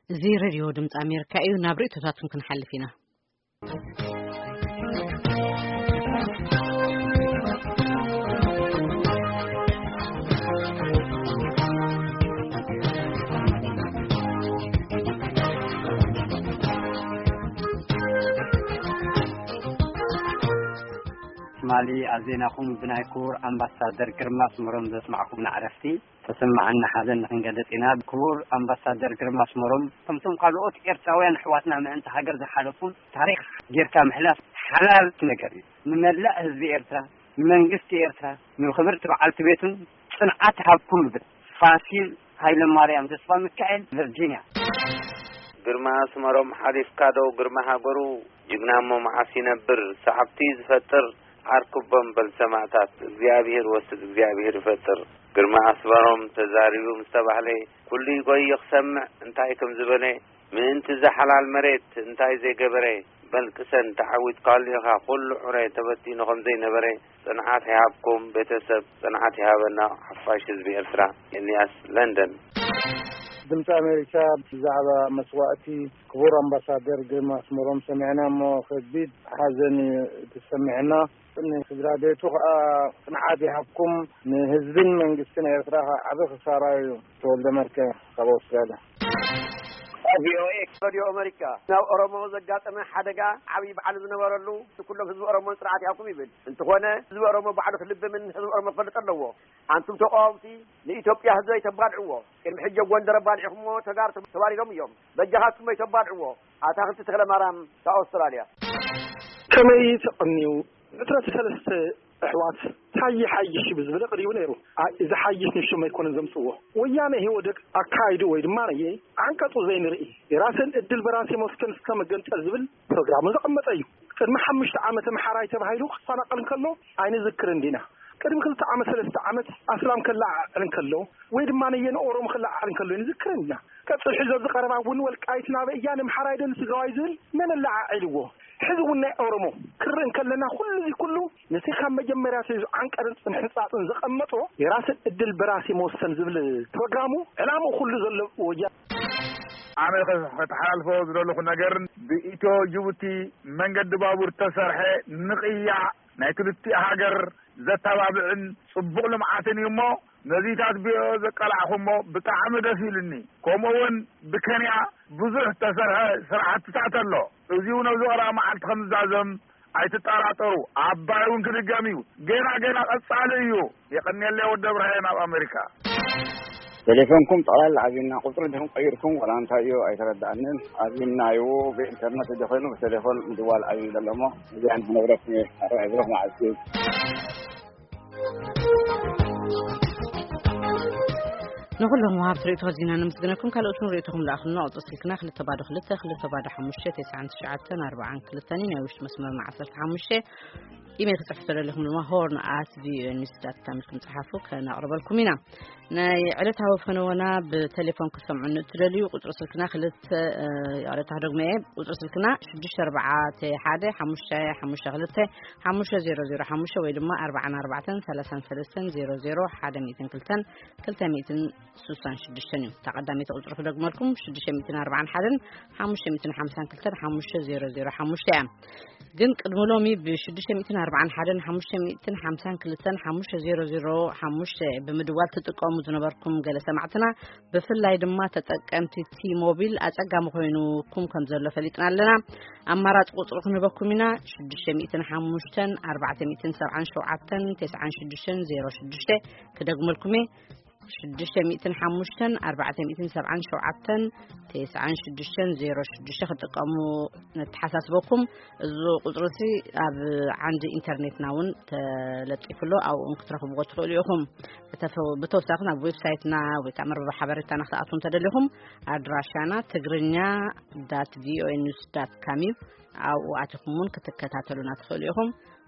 እዚ ሬድዮ ድምፂ ኣሜሪካ እዩ። ናብ ርእይቶታትኩም ክንሓልፍ ኢና። ትማሊ ኣብ ዜናኹም ብናይ ክቡር ኣምባሳደር ግርማ ኣስመሮም ዘስማዕኩም ናዕረፍቲ ተሰማዓና ሓዘን ንክንገልጽ ኢና። ክቡር ኣምባሳደር ግርማ ኣስመሮም፣ ከምቶም ካልኦት ኤርትራውያን ኣሕዋትና ምእንቲ ሃገር ዝሓለፉን ታሪኽ ጌርካ ምሕላፍ ሓላል ነገር እዩ። ንመላእ ህዝቢ ኤርትራ፣ ንመንግስቲ ኤርትራ፣ ንክብርቲ በዓልቲ ቤቱን ጽንዓት ሃብኩም ይብል። ፋሲል ሃይለማርያም ተስፋ ሚካኤል፣ ቨርጂንያ። ግርማ ኣስመሮም ሓሊፍካ ዶ ግርማ ሃገሩ? ጅግና እሞ መዓስ ይነብር? ሰዓብቲ ዝፈጥር ዓርኩቦም በል ሰማእታት። እግዚኣብሔር ወስድ እግዚኣብሔር ይፈጥር። ግርማ ኣስመሮም ተዛሪቡ ምስ ተባህለ ኩሉ ይጎይ ክሰምዕ እንታይ ከም ዝበለ፣ ምእንቲ እዛ ሓላል መሬት እንታይ ዘይገበረ። በል ቅሰን ተዓዊትካሉ ኢኻ። ኩሉ ዕረ ተበቲኑ ከም ዘይነበረ። ጽንዓት ይሃብኩም ቤተሰብ፣ ጽንዓት ይሃበና ሓፋሽ ህዝቢ ኤርትራ። ኤልያስ ለንደን። ድምፂ ኣሜሪካ ብዛዕባ መስዋእቲ ክቡር ኣምባሳደር ግርማ ኣስመሮም ሰሚዕና እሞ ከቢድ ሓዘን እዩ ተሰሚዕና። ንስድራ ቤቱ ከዓ ጽንዓት ይሃብኩም፣ ንህዝብን መንግስትን ኤርትራ ከዓ ዓቢ ክሳራ እዩ። ተወልደ መርከ ካብ ኣውስትራልያ። ቪኦኤ ሬድዮ ኣሜሪካ፣ ናብ ኦሮሞ ዘጋጠመ ሓደጋ ዓብዪ በዓል ዝነበረሉ ኩሎም ህዝቢ ኦሮሞን ጽንዓት ይሃብኩም ይብል። እንተኾነ ህዝቢ ኦሮሞ ባዕሉ ክልብምን ህዝቢ ኦሮሞ ክፈልጥ ኣለዎ። ኣንቱም ተቃወምቲ ንኢትዮጵያ ህዝቢ ኣይተባልዕዎ። ቅድሚ ሕጂ ኣብ ጎንደር ኣባሊዕኹምዎ ተጋሩ ተባሪሮም እዮም። በጃኻትኩም ኣይተባልዕዎ። ኣታኽልቲ ተኽለ ማርያም ካብ ኣውስትራልያ። ከመይ ተቐንዩ? ዕስራ ሰለስተ ኣሕዋት ታየ ሓይሽ ብዝብል ቀሪቡ ነይሩ። ኣይ፣ እዚ ሓይሽ ንሾም ኣይኮነን ዘምጽዎ። ወያነ ኢህወደግ ኣካይዱ ወይ ድማ ነየ ዓንቀጹ ዘይንርኢ፣ የራስን እድል በራስ የመስከን እስከ መገንጠል ዝብል ፕሮግራሙ ዘቐመጠ እዩ። ቅድሚ ሓሙሽተ ዓመት ኣምሓራይ ተባሂሉ ክፈናቐል እንከሎ ኣይንዝክርን ዲና? ቅድሚ ክልተ ዓመት፣ ሰለስተ ዓመት ኣስላም ከለዓዕል እንከሎ ወይ ድማ ነየ ንኦሮሞ ከለዓዕል እንከሎ ኣይንዝክርን ዲና? ቀጽል ሕዚ ኣብዚ ቀረባ እውን ወልቃይት ናበይ እያ፣ ንምሓራይ ዶ ንትግራዋይ ዝብል መን ኣለዓዒልዎ? ሕዚ እውን ናይ ኦሮሞ ክርኢ እንከለና ኩሉ እዚ ኩሉ ነቲ ካብ መጀመርያ ተይዙ ዓንቀርን ጽንሕጻጽን ዘቐመጦ የራስን እድል በራስ የመወሰን ዝብል ፕሮግራሙ ዕላምኡ ኩሉ ዘሎ ወያ ኣነ ከተሓላልፎ ዝደለኹ ነገርን ብኢትዮ ጅቡቲ መንገዲ ባቡር ተሰርሐ ንቕያ ናይ ክልቲኡ ሃገር ዘተባብዕን ጽቡቕ ልምዓትን እዩ እሞ ነዚታት ቢኦ ዘቃላዕኹሞ ብጣዕሚ ደስ ኢሉኒ። ከምኡ እውን ብኬንያ ብዙሕ ተሰርሐ ስራሕትታት ኣሎ። እዚው ነብዚ ቀረባ መዓልቲ ከም ዝዛዘም ኣይትጠራጠሩ። ኣባይ እውን ክድገም እዩ። ገና ገና ቀጻሊ እዩ። የቐንየለይ ወዲ እብራሂም ኣብ ኣሜሪካ። ቴሌፎንኩም ጠቕላላ ኣብና ቁፅሪ ዲኹም ቀይርኩም ዋላ እንታይ እዩ ኣይተረዳእንን። ኣብና እዩ ብኢንተርነት እንደ ኮይኑ ብቴሌፎን ምድዋል ኣብዩ ዘሎ እሞ እዚኣ ንክነግረኩም እየ። ኣረ ብሩኽ መዓልቲ። ንኹሎም ወሃብቲ ርእይቶ ኣዚና ነመስግነኩም። ካልኦት እውን ርእይቶኹም ለኣኹልና። ቁፅሪ ስልክና ክልተ ባዶ ክልተ ክልተ ባዶ ሓሙሽተ ተስዓን ትሽዓተን ኣርባዓን ክልተን እዩ። ናይ ውሽጢ መስመርና ዓሰርተ ሓሙሽተ። ኢሜል ክጽሕፉ ተደሊኹም ድማ ሆርን ኣት ቪኦኤ ኒውስ ዳት ካም ኢልኩም ጸሓፉ፣ ከነቕርበልኩም ኢና። ናይ ዕለታዊ ፈነወና ብቴሌፎን ክትሰምዑ እትደልዩ ቁጽሪ ስልክና ክልተ፣ እ፣ ይቕሬታ ክደግሞ እየ። ቁጽሪ ስልክና ሽዱሽተ ኣርባዕተ ሓደ ሓሙሽተ ሓሙሽተ ክልተ ሓሙሽተ ዜሮ ዜሮ ሓሙሽተ ወይ ድማ ኣርባዓን ኣርባዕተን ሰላሳን ሰለስተን ዜሮ ዜሮ ሓደ ሚእትን ክልተን ክልተ ሚእትን ስሳን ሽዱሽተን እዩ። እታ ቀዳመይቲ ቁጽሪ ክደግመልኩም ሽዱሽተ ሚእትን ኣርባዓን ሓደን ሓሙሽተ ሚእትን ሓምሳን ክልተን ሓሙሽተ ዜሮ ዜሮ ሓሙሽተ እያ። ግን ቅድሚ ሎሚ ብሽዱሽተ ሚእትን ኣርባዓን ሓደን ሓሙሽተ ሚእትን ሓምሳን ክልተን ሓሙሽተ ዜሮ ዜሮ ሓሙሽተ ብምድዋል ትጥቀሙ ዝነበርኩም ገለ ሰማዕትና፣ ብፍላይ ድማ ተጠቀምቲ ቲ ሞቢል ኣጸጋሚ ኮይኑኩም ከም ዘሎ ፈሊጥና ኣለና። ኣማራጺ ቁጽሪ ክንህበኩም ኢና፣ ሽዱሽተ ሚእትን ሓሙሽተን ኣርባዕተ ሚእትን ሰብዓን ሸውዓተን ተስዓን ሽዱሽተን ዜሮ ሽዱሽተ። ክደግመልኩም እየ፣ ሽዱሽተ ሚእትን ሓሙሽተን ኣርባዕተ ሚእትን ሰብዓን ሸውዓተን ተስዓን ሽዱሽተን ዜሮ ሽዱሽተ ክጥቀሙ ነተሓሳስበኩም። እዚ ቁጽሪ እዚ ኣብ ዓንዲ ኢንተርኔትና እውን ተለጢፉ ኣሎ፣ ኣብኡ እውን ክትረኽብዎ ትኽእሉ ኢኹም። ብተፈ-፣ ብተወሳኺ ናብ ዌብሳይትና ወይ ከዓ መርበብ ሓበሬታና ክትኣትዉ እንተደሊኹም ኣድራሻና ትግርኛ ዳት ቪኦኤ ኒውስ ዳት ካም እዩ። ኣብኡ ኣቲኹም እውን ክትከታተሉና ትኽእሉ ኢኹም።